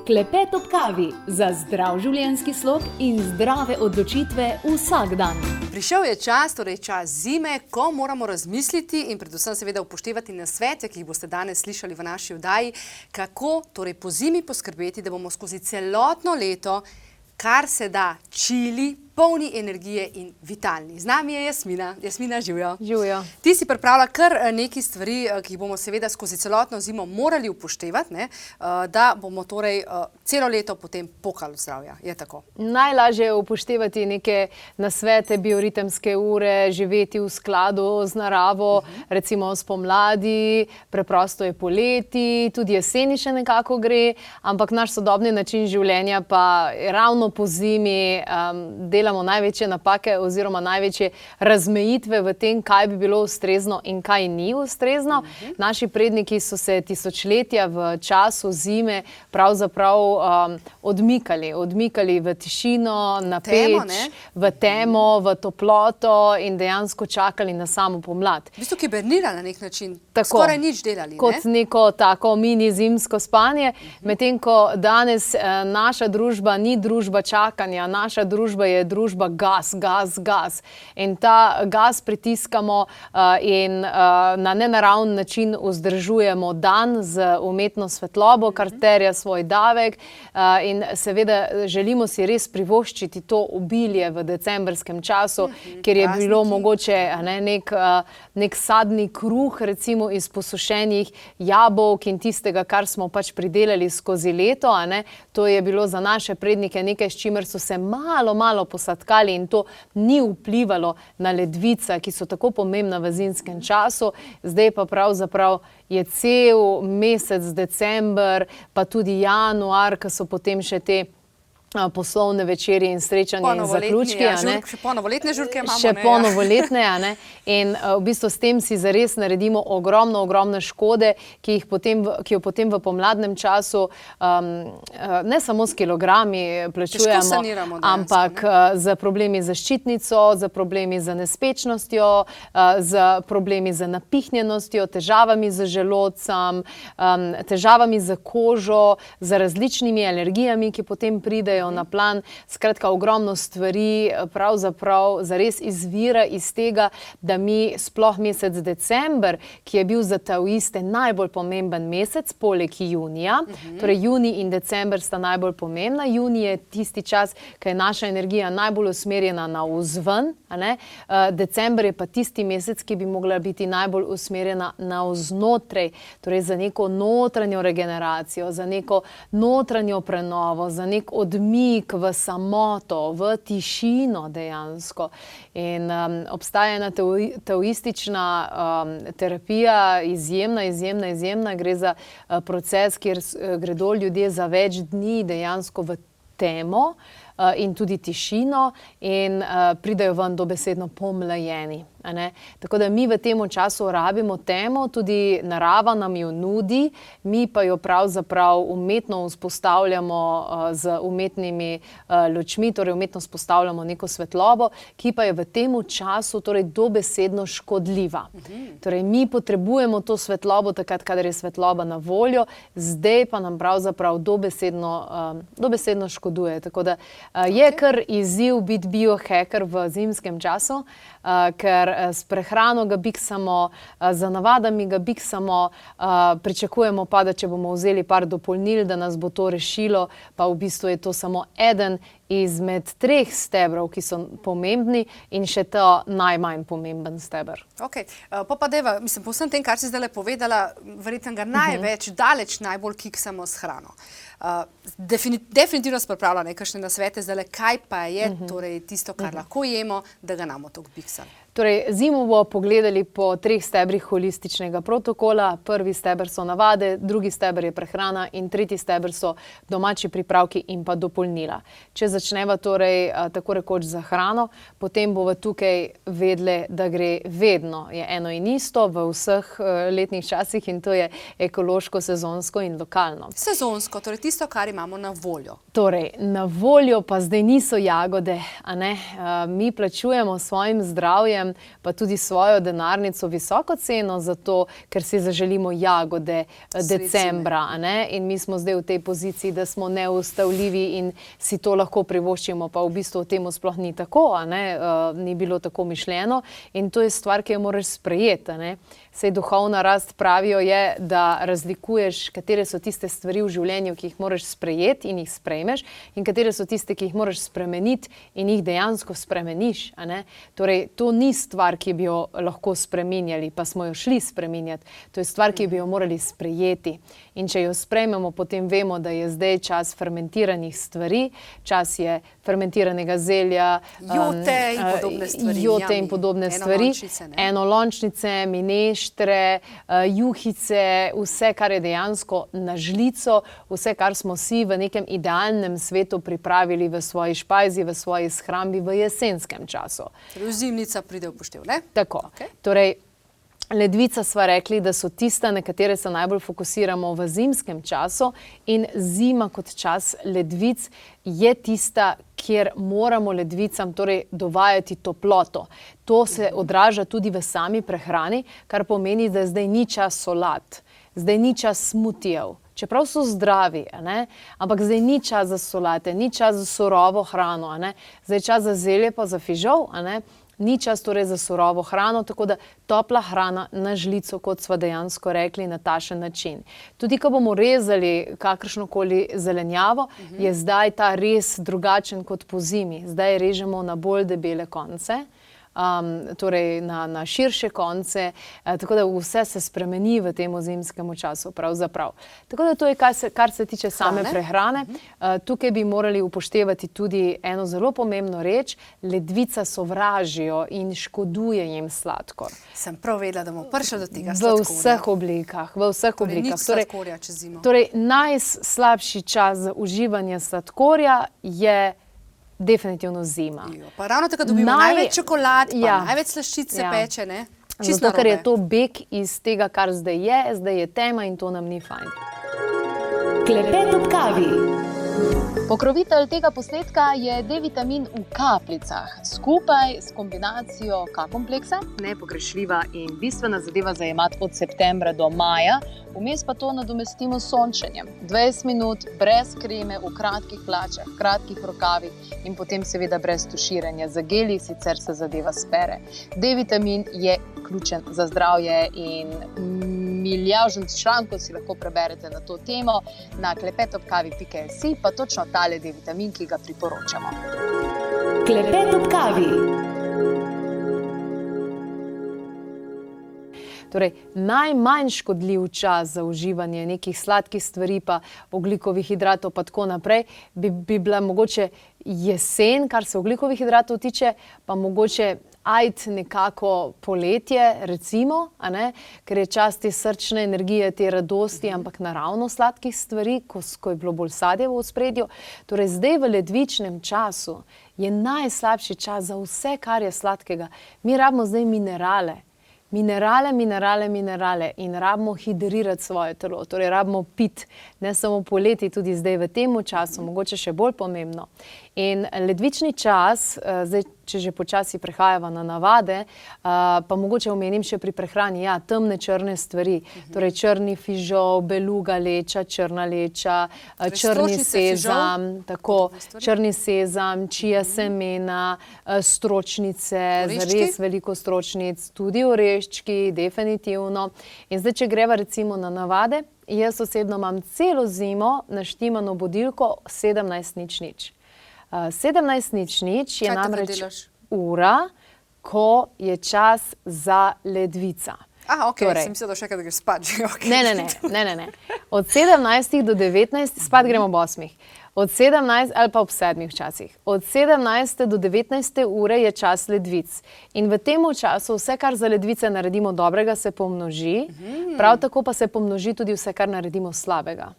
Klepet ob kavi za zdrav življenjski slog in zdrave odločitve vsak dan. Prišel je čas, torej čas zime, ko moramo razmisliti in predvsem seveda upoštevati nasvete, ki jih boste danes slišali v naši oddaji, kako torej po zimi poskrbeti, da bomo skozi celotno leto kar se da čili, polni energije in vitalni. Z nami je Jasmina. Jasmina, živjo. Živjo. Ti si pripravila kar nekaj stvari, ki jih bomo seveda skozi celotno zimo morali upoštevati, da bomo torej celo leto potem pokali od zdravja. Je tako? Najlažje je upoštevati neke nasvete, bioritemske ure, živeti v skladu z naravo, recimo spomladi, preprosto je poleti, tudi jeseni še nekako gre, ampak naš sodobni način življenja pa ravno po zimi delamo največje napake oziroma največje razmejitve v tem, kaj bi bilo ustrezno in kaj ni ustrezno. Naši predniki so se tisočletja v času zime pravzaprav odmikali v tišino, na peč, v temo, v toploto in dejansko čakali na samo pomlad. V bistvu hibernirali na nek način, skoraj nič delali. Kot neko tako mini zimsko spanje, medtem ko danes naša družba ni družba čakanja, naša družba je družba gas. In ta gas pritiskamo in na nenaraven način vzdržujemo dan z umetno svetlobo, kar terja svoj davek in seveda želimo si res privoščiti to obilje v decembrskem času, ker je bilo mogoče nek sadni kruh, recimo iz posušenih jabolk in tistega, kar smo pač pridelali skozi leto. To je bilo za naše prednike nekaj, s čimer so se malo posadkali in to ni vplivalo na ledvica, ki so tako pomembna v zimskem času. Zdaj pa pravzaprav je cel mesec december, pa tudi januar, ki so potem še te poslovne večerje in srečanja in zaključki. Še ponovoletne žurke imamo. Še ponovoletne, in v bistvu s tem si zares naredimo ogromno škode, ki jo potem v pomladnem času ne samo s kilogrami plačujemo, ampak z problemi z ščitnico, z problemi z nespečnostjo, z problemi z napihnjenostjo, težavami z želodcem, težavami z kožo, z različnimi alergijami, ki potem pridejo na plan. Skratka, ogromno stvari pravzaprav zares izvira iz tega, da mi sploh mesec december, ki je bil za taoiste najbolj pomemben mesec, poleg junija, torej junij in december sta najbolj pomembna. Junij je tisti čas, ko je naša energija najbolj usmerjena navzven, december je pa tisti mesec, ki bi mogla biti najbolj usmerjena navznotraj, torej za neko notranjo regeneracijo, za neko notranjo prenovo, za nek odmik v samoto, v tišino dejansko. In obstaja ena taoistična terapija, izjemna. Gre za proces, kjer gredo ljudje za več dni dejansko v temo in tudi tišino in pridejo ven dobesedno pomlajeni. Tako da mi v tem času rabimo temo, tudi narava nam jo nudi, mi pa jo pravzaprav umetno vzpostavljamo z umetnimi lučmi, torej umetno vzpostavljamo neko svetlobo, ki pa je v tem času torej dobesedno škodljiva. Torej mi potrebujemo to svetlobo takrat, kadar je svetloba na voljo, zdaj pa nam pravzaprav dobesedno škoduje. Tako da je kar izziv biti biohacker v zimskem času, ker s prehrano ga biksamo, za navadami ga biksamo, pričakujemo pa, da če bomo vzeli par dopolnil, da nas bo to rešilo, pa v bistvu je to samo eden izmed 3 stebrov, ki so pomembni in še to najmanj pomemben steber. Ok, pa deva, po vsem tem, kar si zdaj povedala, verjetno ga največ, daleč najbolj kiksamo s hrano. Definitivno se pripravlja nekakšne nasvete zdaj, kaj pa je torej tisto, kar lahko jemo, da ga namo toliko biksali. Torej, zimo bomo pogledali po 3 stebrih holističnega protokola. Prvi steber so navade, drugi steber je prehrana in tretji steber so domači pripravki in pa dopolnila. Če začneva torej tako rekoč za hrano, potem bova tukaj vedle, da gre vedno, je eno in isto v vseh letnih časih in to je ekološko, sezonsko in lokalno. Sezonsko, torej tisto, kar imamo na voljo. Torej, na voljo pa zdaj niso jagode, a ne? Mi plačujemo svojim zdravjem, pa tudi svojo denarnico visoko ceno za to, ker si zaželimo jagode decembra, a ne? In mi smo zdaj v tej poziciji, da smo neustavljivi in si to lahko privoščimo, pa v bistvu temu sploh ni tako, a ne? Ni bilo tako mišljeno in to je stvar, ki jo moraš sprejeti, a ne? Sej duhovna rast pravijo je, da razlikuješ, katere so tiste stvari v življenju, ki jih moraš sprejeti in jih sprejmeš in katere so tiste, ki jih moraš spremeniti in jih dejansko spremeniš, a ne? Torej, to ni stvar, ki bi jo lahko spreminjali, pa smo jo šli spreminjati. To je stvar, ki bi jo morali sprejeti. In če jo sprejmemo, potem vemo, da je zdaj čas fermentiranih stvari, čas je fermentiranega zelja, jote in podobne stvari, enolončnice, mineštre, juhice, vse, kar je dejansko na žlico, vse, kar smo si v nekem idealnem svetu pripravili v svoji špajzi, v svoji shrambi v jesenskem času. Torej, zimnica pride v poštev, ne? Tako. Torej, ledvica sva rekli, da so tista, na katere se najbolj fokusiramo v zimskem času in zima kot čas ledvic je tista, kjer moramo ledvicam torej dovajati toploto. To se odraža tudi v sami prehrani, kar pomeni, da zdaj ni čas solat, zdaj ni čas smutijev. Čeprav so zdravi, ne? Ampak zdaj ni čas za solate, ni čas za surovo hrano, ne? Zdaj je čas za zelje pa za fižol, ne? Ni čas torej za surovo hrano, tako da topla hrana na žlico, kot sva dejansko rekli, na tašen način. Tudi, ko bomo rezali kakršnokoli zelenjavo, je zdaj ta rez drugačen kot po zimi. Zdaj režemo na bolj debele konce, torej na širše konce, tako da vse se spremeni v tem zimskem času pravzaprav. Tako da to je, kar se tiče same prehrane. Tukaj bi morali upoštevati tudi eno zelo pomembno reč, ledvica sovražijo in škoduje jim sladkor. Sem prav vedela, da bomo prišli do tega sladkorja. V vseh oblikah, v vseh oblikah. Torej, nič sladkorja čez zimo. Torej, najslabši čas za uživanje sladkorja je definitivno zima. Pa ravno tako dobimo največ čokolad, pa največ slaščice peče, ne? Zato, ker je to beg iz tega, kar zdaj je tema in to nam ni fajn. Klepet ob kavi. Pokrovitelj tega posnetka je D-vitamin v kapljicah, skupaj s kombinacijo K-kompleksa, nepogrešljiva in bistvena zadeva za jemati od septembra do maja, vmes pa to nadomestimo s sončenjem. 20 minut brez kreme, v kratkih hlačah, kratkih rokavih in potem seveda brez tuširanja za geli, sicer se zadeva spere. D-vitamin je ključen za zdravje in milijažen člankov si lahko preberete na to temo na klepetobkavi.si, pa točno tale D-vitamin, ki ga priporočamo. Klepet ob kavi. Torej, najmanj škodljiv čas za uživanje nekih sladkih stvari, pa ogljikovih hidratov, pa tako naprej, bi bila mogoče jesen, kar se ogljikovih hidratov tiče, pa mogoče nekako poletje, recimo, a ne? Ker je čas te srčne energije, te radosti, ampak naravno sladkih stvari, ko je bilo bolj sadje v ospredju. Torej, zdaj v ledvičnem času je najslabši čas za vse, kar je sladkega. Mi rabimo zdaj minerale. Minerale in rabimo hidrirati svoje telo, torej rabimo piti, ne samo poleti, tudi zdaj v tem času, mogoče še bolj pomembno. In ledvični čas, zdaj, če že počasi prehajava na navade, pa mogoče omenim še pri prehrani, temne črne stvari, torej črni fižol, beluga leča, črna leča, črni sezam, črni sezam, čija semena, stročnice, zares veliko stročnic, tudi oreščki, definitivno. In zdaj, če greva recimo na navade, jaz osebno imam celo zimo naštimano budilko 17:00. 17:00 je namreč ura, ko je čas za ledvica. Sem mislila, da še kaj, da greš spat. Ne. Od 17 do 19, spat gremo ob 8. Od 17 ali pa ob 7 včasih. Od 17 do 19 ure je čas ledvic. In v tem času vse, kar za ledvice naredimo dobrega, se pomnoži, prav tako pa se pomnoži tudi vse, kar naredimo slabega.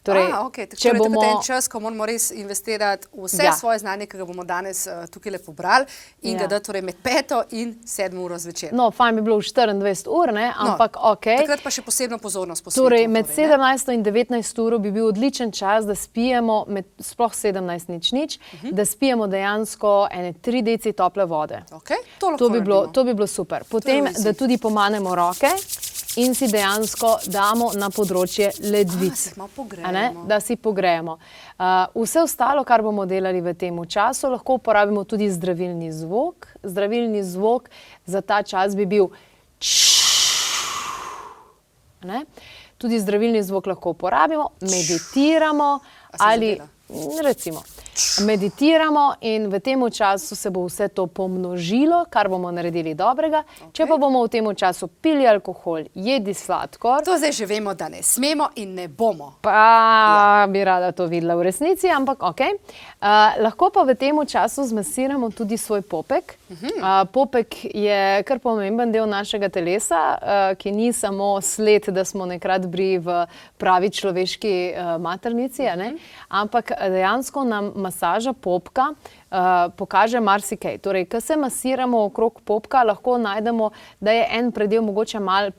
Torej, če bomo... To je en čas, ko moramo res investirati vse svoje znanje, ki ga bomo danes tukaj le pobrali in ga dati med 5. in 7. uro zvečer. No, fajn bi bilo v 24 ur, ne, ampak Takrat pa še posebno pozornost posvetiti. Torej, med 17. in 19. uro bi bil odličen čas, da spijemo, sploh 17:00, da spijemo dejansko ene 3 deci tople vode. To bi bilo super. Potem, da tudi pomanemo roke in si dejansko damo na področje ledvic. Da si pogrejemo. Vse ostalo, kar bomo delali v tem času, lahko uporabimo tudi zdravilni zvok. Zdravilni zvok za ta čas bi bil Tudi zdravilni zvok lahko uporabimo, meditiramo ali recimo meditiramo in v tem času se bo vse to pomnožilo, kar bomo naredili dobrega. Če pa bomo v tem času pili alkohol, jedli sladkor... To zdaj že vemo, da ne smemo in ne bomo. Pa bi rada to videla v resnici, ampak lahko pa v tem času zmasiramo tudi svoj popek. Popek je kar pomemben del našega telesa, ki ni samo sled, da smo nekrat bili v pravi človeški maternici, ampak dejansko nam masaža popka pokaže marsikaj. Torej, ko se masiramo okrog popka, lahko najdemo, da je en predel mogoče malo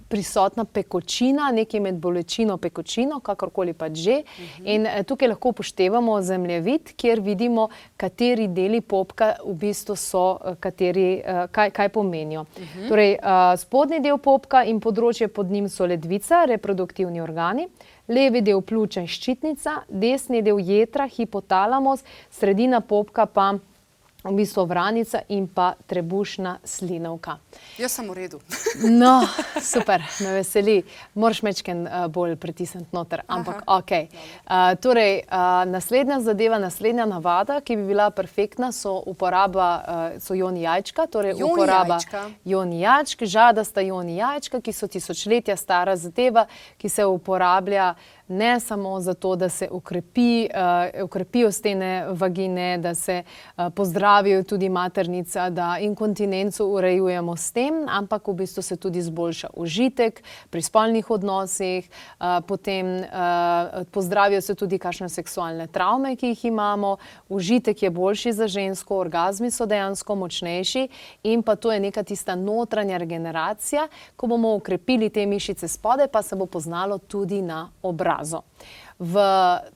prisotna pekočina, nekaj med bolečino, pekočino, kakorkoli pač že. In tukaj lahko upoštevamo zemljevid, kjer vidimo, kateri deli popka v bistvu so, kaj pomenijo. Torej, spodnji del popka in področje pod njim so ledvica, reproduktivni organi, levi del pljuča in ščitnica, desni del jetra, hipotalamos, sredina popka pa v bistvu vranica in pa trebušna slinavka. Jaz sem v redu. No, super, me veseli. Moraš mečken bolj pritisniti noter, ampak Torej, naslednja zadeva, naslednja navada, ki bi bila perfektna, so joni jajčka, torej uporaba joni jajčk, žadasta joni jajčka, ki so tisočletja stara zadeva, ki se uporablja ne samo zato, da se ukrepijo stene vagine, da se pozdravijo tudi maternica, da inkontinenco urejujemo s tem, ampak v bistvu se tudi zboljša užitek pri spolnih odnosih, potem pozdravijo se tudi kakšne seksualne travme, ki jih imamo, užitek je boljši za žensko, orgazmi so dejansko močnejši in pa to je neka tista notranja regeneracija, ko bomo ukrepili te mišice spodaj, pa se bo poznalo tudi na obrazu. V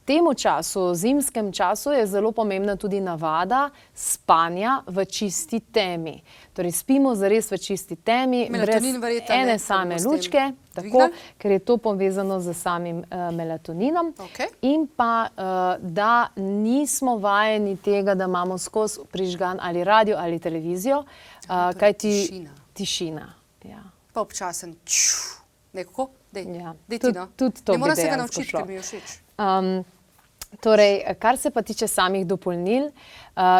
tem času, zimskem času, je zelo pomembna tudi navada spanja v čisti temi. Torej, spimo zares v čisti temi, brez ene same lučke, ker je to povezano z samim melatoninom. In pa, da nismo vajeni tega, da imamo skozi prižgan ali radio ali televizijo, kajti tišina. Pa občasen nekako. Tudi to bi dejansko šlo. Torej, kar se pa tiče samih dopolnil,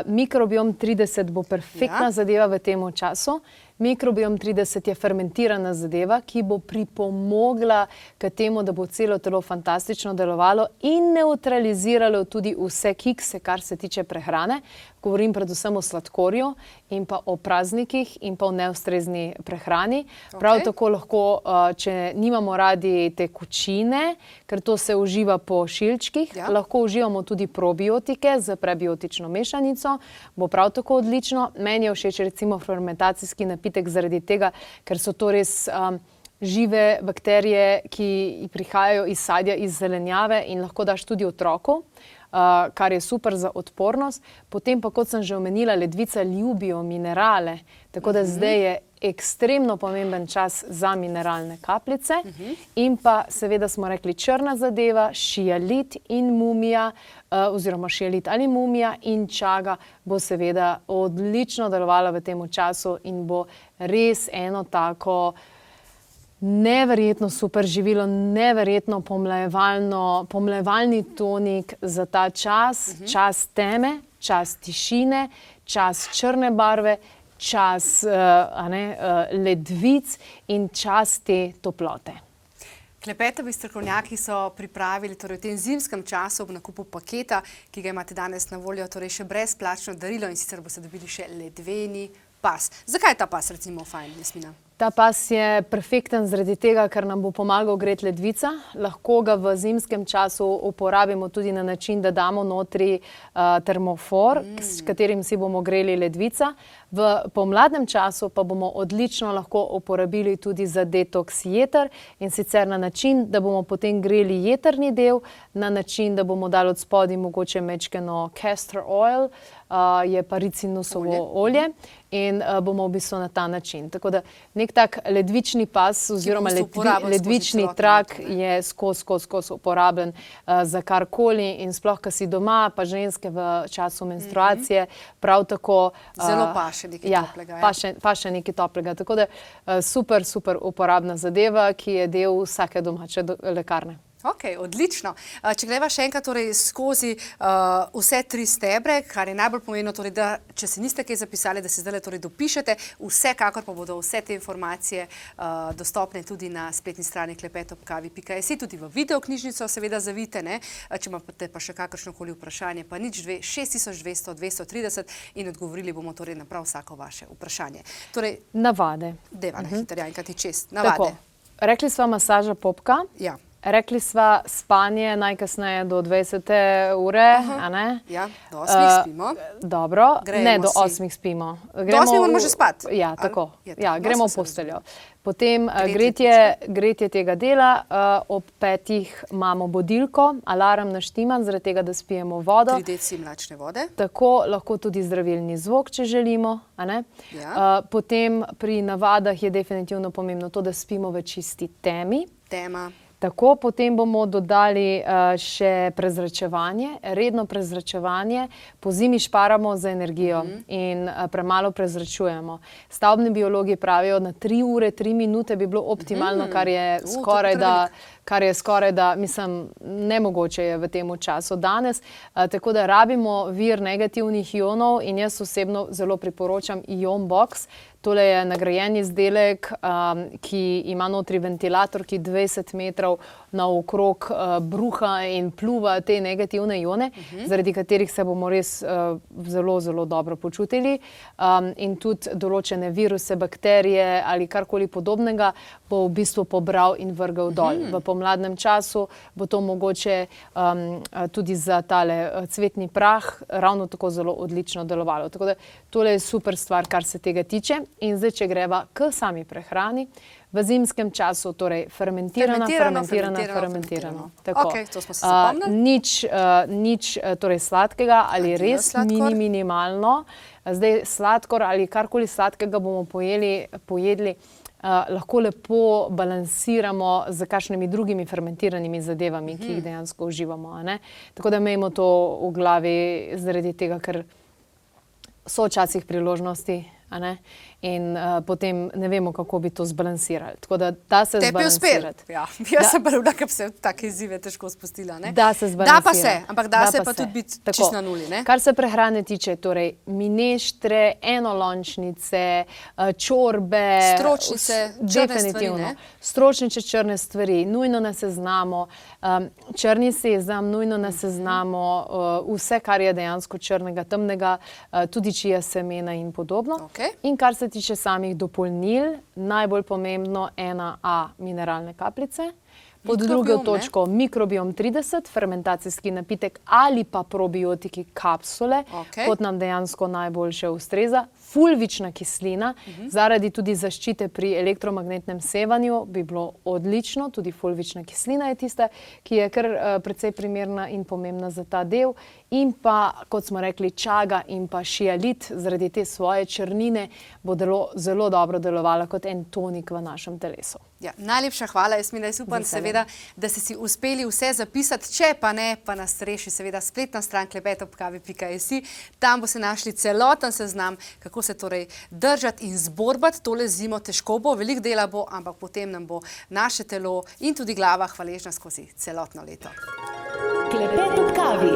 mikrobiom 30 bo perfektna zadeva v tem času. Mikrobiom 30 je fermentirana zadeva, ki bo pripomogla k temu, da bo celo telo fantastično delovalo in neutraliziralo tudi vse kikse, kar se tiče prehrane. Govorim predvsem o sladkorju in pa o praznikih in pa o neustrezni prehrani. Prav tako lahko, če nimamo radi tekočine, ker to se uživa po šilčkih, lahko uživamo tudi probiotike z prebiotično mešanico, bo prav tako odlično. Meni je všeč recimo fermentacijski napitek zaradi tega, ker so to res žive bakterije, ki prihajajo iz sadja, iz zelenjave in lahko daš tudi otroku, kar je super za odpornost. Potem pa, kot sem že omenila, ledvica ljubijo minerale, tako da zdaj je ekstremno pomemben čas za mineralne kapljice. In pa seveda smo rekli črna zadeva, šialit in mumija, oziroma šialit ali mumija in čaga bo seveda odlično delovala v tem času in bo res eno tako neverjetno super živilo, neverjetno pomlajevalni tonik za ta čas, čas teme, čas tišine, čas črne barve, čas ledvic in čas te toplote. Klepetovi strokovnjaki so pripravili v tem zimskem času ob nakupu paketa, ki ga imate danes na voljo, torej še brezplačno darilo in sicer boste dobili še ledveni pas. Zakaj je ta pas recimo fajn, Jasmina? Ta pas je perfekten zaradi tega, ker nam bo pomagal greti ledvica. Lahko ga v zimskem času uporabimo tudi na način, da damo notri termofor, s katerim si bomo greli ledvica. V pomladnem času pa bomo odlično lahko uporabili tudi za detoks jeter in sicer na način, da bomo potem greli jetrni del, na način, da bomo dali od spodaj mogoče mečkeno castor oil, je pa ricinusovo olje in bomo v bistvu na ta način. Tako da nek tak ledvični pas oziroma ledvični trak je skozi uporaben za karkoli in sploh, ko si doma, pa ženske v času menstruacije, prav tako... Zelo paše nekaj toplega. Paše nekaj toplega. Tako da super uporabna zadeva, ki je del vsake domače lekarne. Ok, odlično. Če greva še enkrat skozi vse 3 stebre, kar je najbolj pomembno, da če se niste kaj zapisali, da se zdaj dopišete, vsekakor pa bodo vse te informacije dostopne tudi na spletni strani klepetobkavi.si, tudi v videoknjižnico seveda zavite, če imate pa še kakršnokoli vprašanje, pa nič 6200 230 in odgovorili bomo na prav vsako vaše vprašanje. Navade. Deva na hitro, enkrat čest. Navade. Rekli sva masaža popka. Ja. Rekli sva spanje najkasneje do 20. ure, a ne? Ja, do 8 spimo. Dobro, ne do 8 spimo. Do 8 moramo že spati. Ja, tako. Ja, gremo v posteljo. Potem gretje tega dela, ob 5 imamo budilko, alarm naštiman, zaradi tega, da spijemo vodo. 3 deci mlačne vode. Tako, lahko tudi zdravilni zvok, če želimo, a ne? Potem pri navadah je definitivno pomembno to, da spimo v čisti temi. Tema. Tako, potem bomo dodali še prezračevanje, redno prezračevanje. Po zimi šparamo za energijo in premalo prezračujemo. Stavbni biologi pravijo, na 3 ure, 3 minute bi bilo optimalno, kar je skoraj da, mislim, nemogoče je v tem času danes. Tako da rabimo vir negativnih ionov in jaz osebno zelo priporočam Ion Box. Tole je nagrajen izdelek, ki ima notri ventilator, ki 20 metrov naokrog bruha in pluva te negativne ione, zaradi katerih se bomo res zelo dobro počutili. In tudi določene viruse, bakterije ali karkoli podobnega bo v bistvu pobral in vrgel dol. V pomladnem času bo to mogoče tudi za tale cvetni prah ravno tako zelo odlično delovalo. Tako da tole je super stvar, kar se tega tiče. In zdaj, če greva k sami prehrani, v zimskem času, torej fermentirano. Ok, to smo se zapomnili. Nič sladkega ali res minimalno. Zdaj sladkor ali karkoli sladkega bomo pojedli, lahko lepo balansiramo z kakšnimi drugimi fermentiranimi zadevami, ki jih dejansko uživamo. Tako da imejmo to v glavi zaradi tega, ker so včasih priložnosti, in potem ne vemo, kako bi to zbalansirali. Tako da da se zbalansirati. Ja, jaz sem prva, ki bi se take izzive težko spustila. Da se zbalansirati. Da pa se, ampak da se pa tudi biti čisto na nuli. Kar se prehrane tiče, torej mineštre, enolončnice, čorbe. Stročnice, črne stvari, Stročnice, črne stvari, nujno na seznamu. Črni sezam, nujno na seznamu. Vse, kar je dejansko črnega, temnega, tudi čija semena in podobno. In kar se tiče samih dopolnil, najbolj pomembno 1A mineralne kapljice, pod drugo točko mikrobiom 30, fermentacijski napitek ali pa probiotiki kapsule, kot nam dejansko najboljše ustreza. Fulvična kislina, zaradi tudi zaščite pri elektromagnetnem sevanju bi bilo odlično, tudi fulvična kislina je tista, ki je kar precej primerna in pomembna za ta del. In pa, kot smo rekli, čaga in pa šialit, zaradi te svoje črnine, bo zelo dobro delovala kot en tonik v našem telesu. Ja, najlepša hvala, Jasmina, jaz upam seveda, da ste si uspeli vse zapisati, če pa ne, pa nas reši seveda spletna stran klepetobkavi.si, tam boste našli celoten seznam, kako se torej držati in zborbati tole zimo. Težko bo, veliko dela bo, ampak potem nam bo naše telo in tudi glava hvaležna skozi celotno leto. Klepet ob kavi.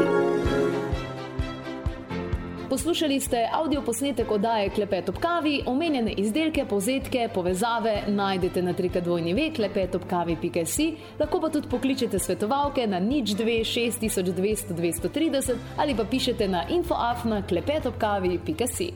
Poslušali ste avdioposnetek oddaje Klepet ob kavi, omenjene izdelke, povzetke, povezave najdete na www.klepetobkavi.si, lahko pa tudi pokličete svetovalke na 02 6200 230 ali pa pišete na info@klepetobkavi.si.